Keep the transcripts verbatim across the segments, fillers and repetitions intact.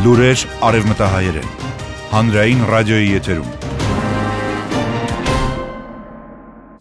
Լուրեր արևմտահայերեն, հանրային ռադիոյի եթերում։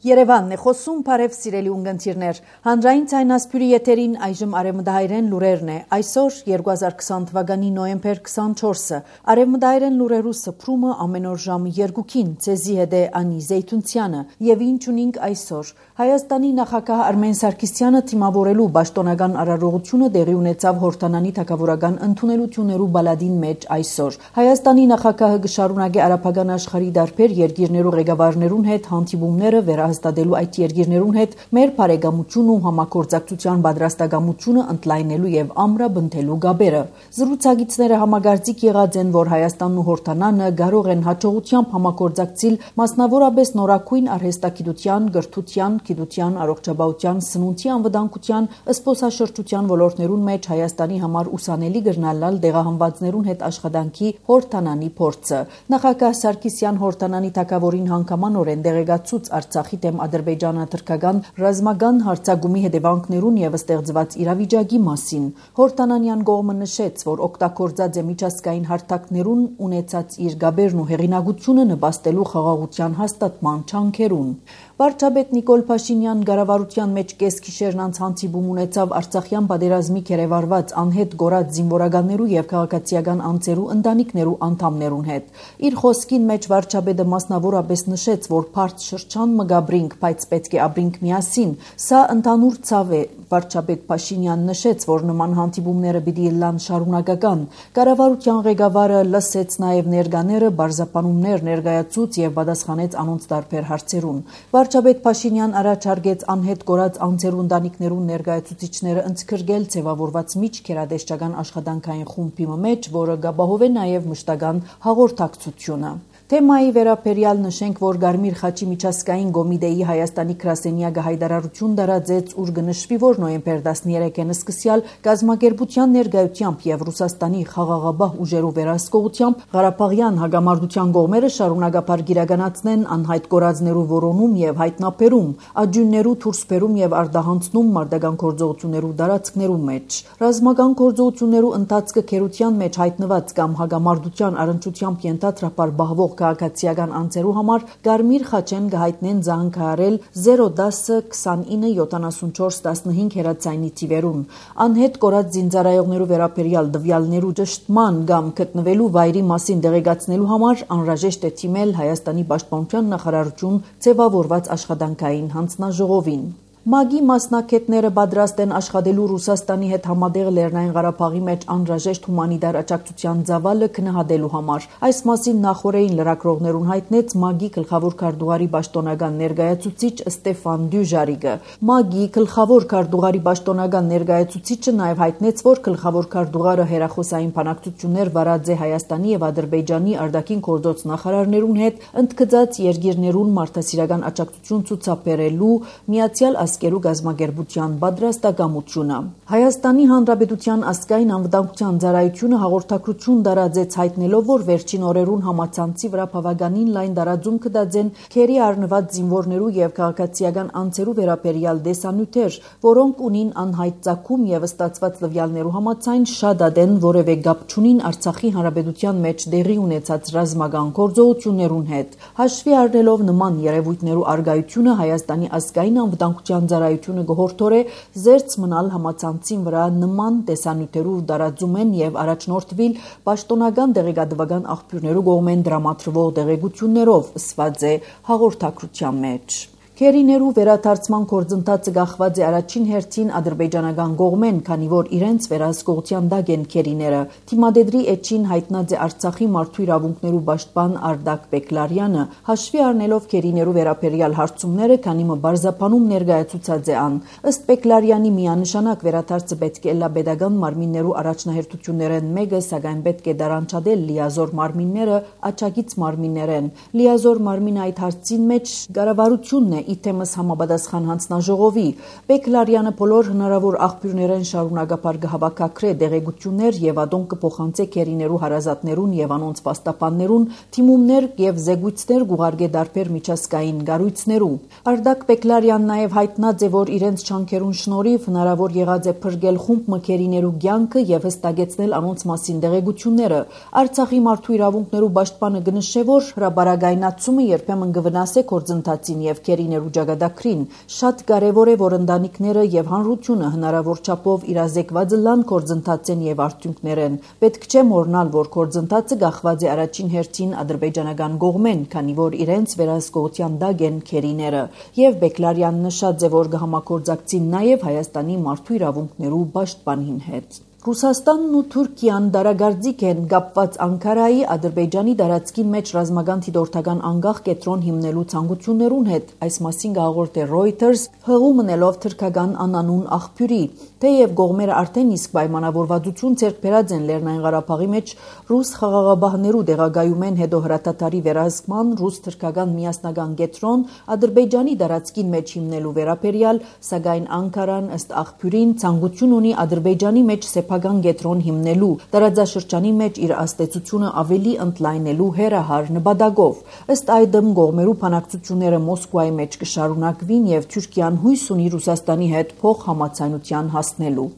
Երևանն է խոսում, բարև սիրելի ունգընտիրներ, հանրային ցայնասպյուրի եթերին այժմ արևմտահայերեն լուրերն է, այսօր երկու հազար քսան թվականի նոյեմբեր քսանչորսը, արևմտահայերեն լուրերու սփռումը ամեն օր ժամը երկուքին, ցեզի հետ է Անի Զեյթունցյանը, եւ ինչ ունենք այսօր, Հայաստանի նախագահ Արմեն Սարգսյանը թիմավորելու պաշտոնական արարողությունը տեղի ունեցավ Հորդանանի թագավորական ընդունելություններու բալադին մեջ այսօր, Հայաստանի նախագահը կշարունակի արաբական աշխարհի դարբեր երկիրներու ղեկավարներուն հետ հանդիպումները վերահաստատելու այդ երկիրներուն հետ մեր բարեկամություն ու համագործակցության պատրաստակամությունը ընդլայնելու եւ ամրապնդելու գաբերը։ Զրուցակիցները համագործիկ եղած են, որ Հայաստանն ու Հորդանանը կարող են հաջողությամբ համագործակցել մասնավորապես նորակույն արհեստագիտության, գրթության, գիտության, առողջապահության, սնունդի անվտանգության, զբոսաշրջության ոլորտներուն մեջ Հայաստանի համար ուսանելի գրնալալ դեղահանվածներուն հետ աշխատանքի Հորդանանի փորձը։ Նախագահ Սարգսյան Հորդանանի թագավորին հանգամանորեն դեղեկացուց Արցախի դեմ ադրբեջանա-թուրքական ռազմական հարձակումի հետևանքներուն եւ ստեղծված իրավիճակի մասին։ Հորդանանյան կողմը նշեց, որ օգտագործած է միջազգային հարթակներուն ունեցած իր գաբերն ու հեղինակությունը նպաստելու խաղաղության հաստատման չանքերուն։ Վարչապետ Նիկոլ Փաշինյան կառավարության մեջ կեսգիշերն անց հանդիպում ունեցավ Արցախյան պատերազմի կերևարված անհետ գորած զինվորականներու եւ քաղաքացիական անձերու ընտանիքներու անդամներուն հետ։ Իր խոսքին մեջ վարչապետը մասնավորապես նշեց, որ բարդ շրջան մը գաբրինք, բայց պետք է ապրինք միասին։ Սա ընդհանուր ցավ է։ Վարչապետ Փաշինյան նշեց, որ նման հանդիպումները պիտի լան շարունակական։ Կառավարության ղեկավարը լսեց նաեւ ներկաները, բարձրապանումներ ներկայացուց եւ պատասխանեց անոնց տարբեր հարցերուն։ Վարչապետ Փաշինյան առաջարկեց անհետ գորած անձերու ընտանիքներուն ներկայացուցիչները ընդգրկել ձևավորված միջքերադեշտական աշխատանքային խումբի մեջ, որը կապահովի նաեւ մշտական հաղորդակցությունը։ Թեմայի վերաբերյալ նշենք, որ Գարմիր խաչի միջազգային կոմիտեի Հայաստանի գրասենյակը հայտարարություն տարածեց, ուր կնշվի, որ նոյեմբեր տասներեքին սկսյալ կազմակերպության ներկայությամբ եւ Ռուսաստանի խաղաղապահ ուժերու վերահսկողությամբ Ղարաբաղյան հակամարտության կողմերը շարունակապար գիրականացնեն անհայտ կորածներու որոնում եւ հայտնաբերում, աջուններու թուրսբերում եւ արտահանցնում մարտական գործողություններու տարածքներու մեջ։ Ռազմական գործողություններու ընթացքը քերության մեջ հայտնված կամ հակամարտության առընչությամբ ենթադրաբար բահվող քաղաքացիական անձերու համար Գարմիր խաչեն կհայտնեն զանգահարել զերո դասը քսանինը յոթանասունչորս տասնհինգ հեռացայնի թիվերուն։ Անհետ կորած զինծառայողներու վերաբերյալ տվյալներու ճշտման կամ գտնվելու վայրի մասին տեղեկացնելու համար անհրաժեշտ է թիմել Հայաստանի պաշտպանության նախարարություն ձևավորված աշխատանքային հանձնաժողովին։ ՄԱԳ-ի մասնակիցները պատրաստ են աշխատելու Ռուսաստանի հետ համատեղ Լեռնային Ղարաբաղի մեջ անհրաժեշտ հումանիտար աջակցության ծավալը քննադատելու համար։ Այս մասին նախորդին լրագրողներուն հայտնեց ՄԱԳ-ի գլխավոր քարտուղարի պաշտոնական ներկայացուցիչ Ստեֆան Դյուժարիկը։ ՄԱԳ-ի գլխավոր քարտուղարի պաշտոնական ներկայացուցիչը նաև հայտնեց, որ գլխավոր քարտուղարը հերախոսային բանակցություններ վարած է Հայաստանի եւ Ադրբեջանի արտաքին գործոց նախարարներուն հետ, ընդգծած երկիրներուն մարդասիրական աջակցություն ցուցաբերելու Միացյալ Ազգերու գազམ་ակերպության պատրաստակամությունը։ Հայաստանի Հանրապետության ազգային անվտանգության ծառայությունը հաղորդակցություն տարածեց հայտնելով, որ վերջին օրերուն համացանցի վրա բավականին լայն տարածում կդածեն քերի առնված զինվորներու եւ քաղաքացիական անձերու վերաբերյալ դեսանյութեր, որոնք ունին անհայտ ծագում եւ ստացված տվյալներու համաձայն շատ ադեն որևէ կապ չունին Արցախի Հանրապետության մեջ տեղի ունեցած ռազմական գործողություններուն հետ։ Հաշվի առնելով նման երևույթներու արգայությունը Հայաստանի ազգային անվտանգության ծառայությունը գողորթորե զերծ մնալ համացանցին վրա նման տեսանյութերով տարածումեն եւ առաջնորդվել պաշտոնական դեղեկատվական աղբյուրներու կողմեն դրամատրվող տեղեկություններով, ըսված է հաղորդակցության մեջ։ Քերիներու վերադարձման գործընթացը գախված է առաջին հերթին ադրբեջանական կողմեն, քանի որ իրենց վերահսկողության տակ են քերիները։ Թիմադեդրի էջին հայտնած է Արցախի մարդու իրավունքներու պաշտպան Արդակ Բեկլարյանը, հաշվի առնելով քերիներու վերաբերյալ հարցումները, քանի մը բարձրապանում ներկայացուցած է ան։ Ըստ Բեկլարյանի միանշանակ վերադարձը պետք է լա պետական մարմիններու առաջնահերթություններեն մեկը, սակայն պետք է դարանչադել լիազոր մարմինները աջակից մարմիններեն։ Լիազոր մարմինը այդ հարցին մեջ կառավարությունն է իթեմս համապատասխան հանձնաժողովի։ Բեկլարյանը բոլոր հնարավոր աղբյուրներեն շարունակապար կհավաքակրե դեղեցություններ եւ ադոն կփոխանցե քերիներու հարազատներուն եւ անոնց պաստապաններուն թիմումներ եւ զեկույցներ գուղարկե դարբեր միջազգային գառույցներու։ Արդակ Բեկլարյանն նաեւ հայտնած է, որ իրենց չանքերուն շնորհիվ հնարավոր եղած է փրկել խումբ մքերիներու կյանքը եւ հստակեցնել անոնց մասին դեղեցությունները։ Արցախի մարդու իրավունքներու պաշտպանը գնշե, որ հրաբարագայնացումը երբեմն կվնասե գործընթացին եւ քերիներու ջագադակրին։ Շատ կարեւոր է, որ ընտանիքները եւ հանրությունը հնարավոր չափով իրազեկված լան գործընթացեն եւ արդյունքներեն։ Պետք չէ մոռնալ, որ գործընթացը գախված է առաջին հերթին ադրբեջանական կողմեն, քանի որ իրենց վերահսկողության դակ են քերիները։ Եվ Բեկլարյանն նշած է, որ կհամագործակցին նաեւ Հայաստանի մարդու իրավունքներու պաշտպանին հետ։ Ռուսաստանն ու Թուրքիան դարագարձիկ են կապված Անկարայի Ադրբեջանի դարածքին մեջ ռազմական դիտորդական անկախ կետրոն հիմնելու ցանկություններուն հետ, այս մասին հաղորդել է Reuters, հղում մնելով թրքական անանուն աղբյուրի։ Թեև կողմերը արդեն իսկ պայմանավորվածություն ձեռք բերած են Լեռնային Ղարաբաղի մեջ ռուս խաղաղաբահներու դեղագայումեն հետո հրատատարի վերահսկման ռուս-թրքական միասնական կետրոն Ադրբեջանի դարածքին մեջ հիմնելու վերաբերյալ, սակայն Անկարան ըստ աղբյուրին ցանկություն ունի Ադրբեջանի մեջ սեփական կետրոն հիմնելու տարածաշրջանի մեջ իր աստեցությունը ավելի ընդլայնելու հերահար նպատակով։ Ըստ այդմ կողմերու բանակցությունները Մոսկվայի մեջ կշարունակվին եւ Թուրքիան հույս ունի Ռուսաստանի հետ փոխհամաձայնության հասնելու։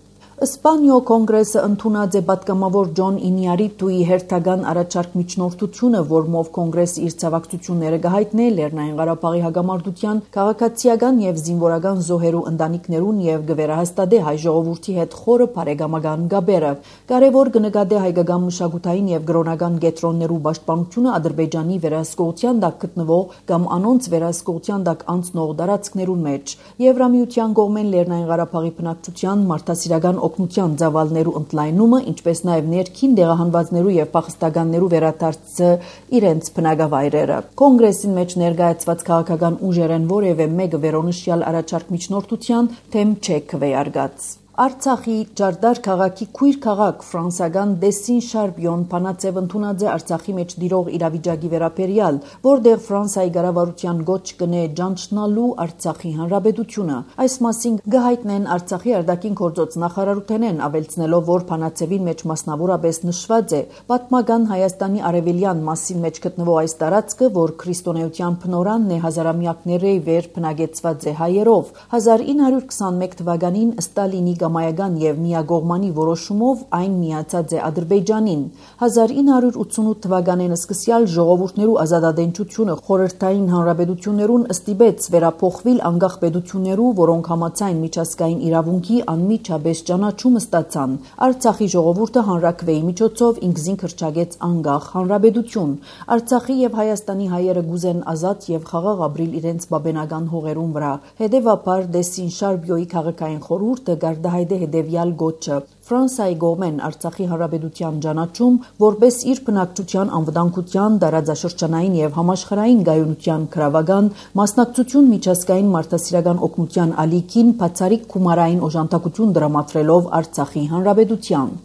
Իսպանիո կոնգրեսը ընդունած է պատգամավոր Ջոն Ինյարիտուի հերթական առաջարկ միջնորդությունը, որմով կոնգրեսը իր ցավակցությունները կհայտնի Լեռնային Ղարաբաղի հագամարտության քաղաքացիական եւ զինվորական զոհերու ընտանիքներուն եւ կվերահաստատե հայ ժողովրդի հետ խորը բարեկամական գաբերը։ Կարևոր կնկատե հայկական մշակութային եւ գրոնական կետրոններու պաշտպանությունը Ադրբեջանի վերահսկողության տակ գտնվող կամ անոնց վերահսկողության տակ անցնող տարածքներուն մեջ։ Եվրամիության կողմեն Լեռնային Ղարաբաղի բնակչության մարդասիրական օգնության ծավալներու ընդլայնումը, ինչպես նաև ներքին դեղահանվածներու եւ փախստականներու վերադարձը իրենց բնակավայրերը։ Կոնգրեսին մեջ ներկայացված քաղաքական ուժերեն որևէ մեկը վերոնշյալ առաջարկ միջնորդության թեմ չէ քվեարկած։ Արցախի Ջարդար քաղաքի քույր քաղաք ֆրանսական Դեսին Շարբյոն Փանացև ընդունած է Արցախի մեջ դիրող իրավիճակի վերաբերյալ, որտեղ Ֆրանսիայի կառավարության գոչ կնե ճանչնալու Արցախի հանրապետությունը։ Այս մասին գահիտնեն Արցախի արտաքին գործոց նախարարութենեն, ավելցնելով, որ Փանացևին մեջ մասնավորապես նշված է պատմական Հայաստանի արևելյան մասին մեջ գտնվող այս տարածքը, որ քրիստոնեության փնորանն է հազարամյակների վեր բնակեցված է հայերով։ հազար ինը հարյուր քսանմեկ թվականին Ստալինի Գամայական եւ միագողմանի որոշումով այն միացած է Ադրբեջանին։ հազար ինը հարյուր ութսունութ թվականին սկսյալ ժողովուրդներու ազատատենչությունը խորհրդային հանրապետություններուն ստիպեց վերափոխվել անկախ պետություններու, որոնք համաձայն միջազգային իրավունքի անմիջապես ճանաչումը ստացան։ Արցախի ժողովուրդը հանրաքվեի միջոցով ինքզին քրճագեց անկախ հանրապետություն։ Արցախի եւ Հայաստանի հայերը գուզեն ազատ եւ խաղաղ ապրիլ իրենց բաբենական հողերուն վրա։ Հետևաբար Դեսին Շարբյոյի քաղաքային խորհուրդը հայդե հետևյալ գոչը Ֆրանսիայի կողմեն Արցախի հանրապետության ճանաչում որպես իր բնակչության անվտանգության, տարածաշրջանային եւ համաշխարհային գայունության քրավական մասնակցություն միջազգային մարդասիրական օգնության ալիքին բացառիկ գումարային օժանդակություն դրամատրելով Արցախի հանրապետության։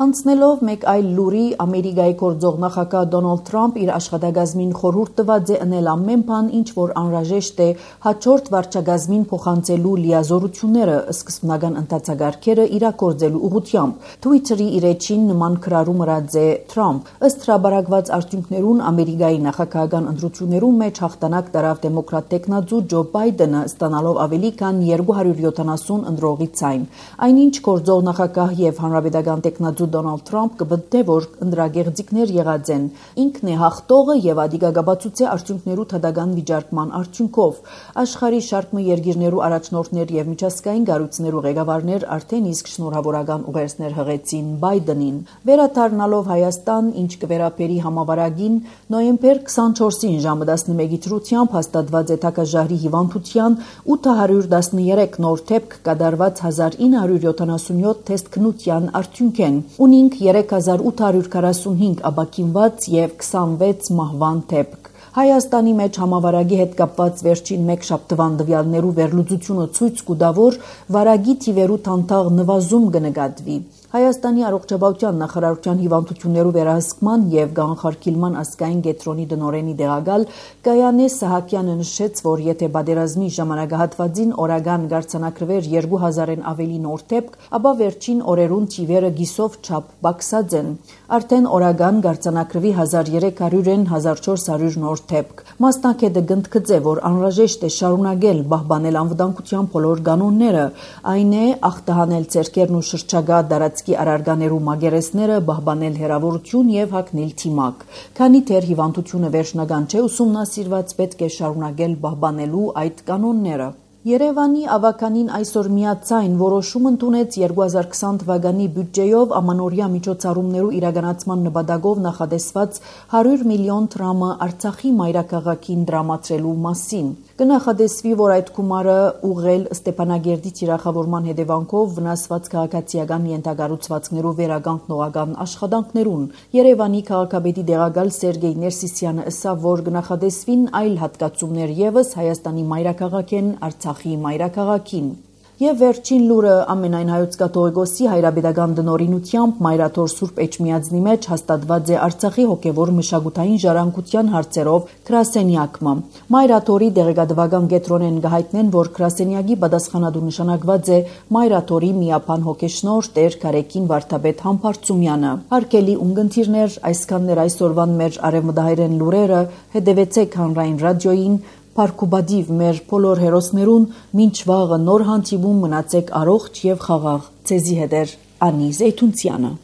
Անցնելով մեկ այլ լուրի, Ամերիկայի գործող նախագահ Դոնալդ Թրամփ իր աշխատակազմին խորհուրդ տված է ընել ամեն բան, ինչ որ անհրաժեշտ է հաջորդ վարչակազմին փոխանցելու լիազորությունները սկզբնական ընթացագարկերը իրագործելու ուղղությամբ։ Twitter-ի իր էջին նման քրարում ըրած է Թրամփ։ Ըստ հրաբարակված արդյունքներուն Ամերիկայի նախագահական ընտրություններում մեջ հաղթանակ տարավ դեմոկրատ տեխնացու Ջո Բայդենը, ստանալով ավելի քան երկու հարյուր յոթանասուն ընտրողի ցայն։ Այնինչ գործող նախագահ եւ հանրապետական տեխնացու Դոնալդ Թրամփ կբդե, որ ընդրագեղձիկներ եղած են։ Ինքն է հաղթողը եւ ադիգագաբացուցե արդյունքներու թադական վիճարկման արդյունքով։ Աշխարհի շարքը երկիրներու առաջնորդներ եւ միջազգային կառույցներու ղեկավարներ արդեն իսկ շնորհավորական ուղերձներ հղեցին Բայդենին։ Վերադառնալով Հայաստան, ինչ կվերապերի համավարակին, նոյեմբեր քսանչորսին ժամը տասնմեկի դրությամբ հաստատված է Թակաժահրի հիվանդության ութ հարյուր տասներեք նոր դեպք կատարված հազար ինը հարյուր յոթանասունյոթ թեստ քնության արդյունք են։ Ունինք երեք հազար ութ հարյուր քառասունհինգ ապաքինված եւ քսանվեց մահվան դեպք։ Հայաստանի մեջ համավարակի հետ կապված վերջին մեկ շաբթվան տվյալներու վերլուծությունը ցույց կտա, որ վարակի թիվերու թանթաղ նվազում կնկատվի։ Հայաստանի առողջապահության նախարարության հիվանդություններու վերահսկման եւ գաղափարքիլման ազգային կենտրոնի դնորենի դեղակալ Գայանե Սահակյանը նշեց, որ եթե պատերազմի ժամանակահատվածին օրական գարցանակրվեր երկու հազարեն ավելի նոր դեպք, ապա վերջին օրերուն թիվերը գիսով չափ բացած են։ Արդեն օրական գարցանակրվի հազար երեք հարյուրեն հազար չորս հարյուր նոր դեպք։ Մասնակետը գնդկծե, որ անհրաժեշտ է շարունակել պահպանել անվտանգության բոլոր կանոնները, այն է ախտահանել ցերկերն ու շրջագա դարածքի արարկաներու մագերեսները, պահպանել հեռավորություն եւ հագնել թիմակ։ Քանի դեռ հիվանդությունը վերջնական չէ ուսումնասիրված, պետք է շարունակել պահպանելու այդ կանոնները։ Երևանի ավականին այսօր միացայն որոշում ընդունեց երկու հազար քսան թվականի բյուջեով ամանորյա միջոցառումներու իրականացման նպատակով նախատեսված հարյուր միլիոն դրամը Արցախի մայրաքաղաքին դրամատրելու մասին։ Կնախադեսվի, որ այդ գումարը ուղղել Ստեփանագերդի թիրախավորման հետևանքով վնասված քաղաքացիական ենթակառուցվածքներու վերականգնողական աշխատանքներուն։ Երևանի քաղաքապետի դեղակալ Սերգեյ Ներսիսյանը ասավ, որ կնախադեսվին այլ հատկացումներ եւս Հայաստանի մայրաքաղաքեն Արցախի մայրաքաղաքին։ Եվ վերջին լուրը ամենայն հայոց կաթողիկոսի հայրապետական դնորինությամբ Մայրաթոր Սուրբ Էջմիածնի մեջ հաստատված է Արցախի հոգևոր մշակութային ժառանգության հարցերով գրասենյակը։ Մայրաթորի դեղեկատվական կենտրոնեն գահիտնեն, որ գրասենյակի պատասխանատու նշանակված է Մայրաթորի միապան հոգեշնոր Տեր Գարեկին Վարդապետ Համբարձումյանը։ Հարգելի ունկնդիրներ, այսքաններ այսօրվան մեր արևմտահայերեն լուրերը, հետևեցեք հանրային ռադիոյին, Փարքուբադիվ մեր բոլոր հերոսներուն, մինչ վաղը նոր հանդիպում մնացեք առողջ եւ խաղաղ։ Ձեզի հետ է Անի Զեյթունցյանը։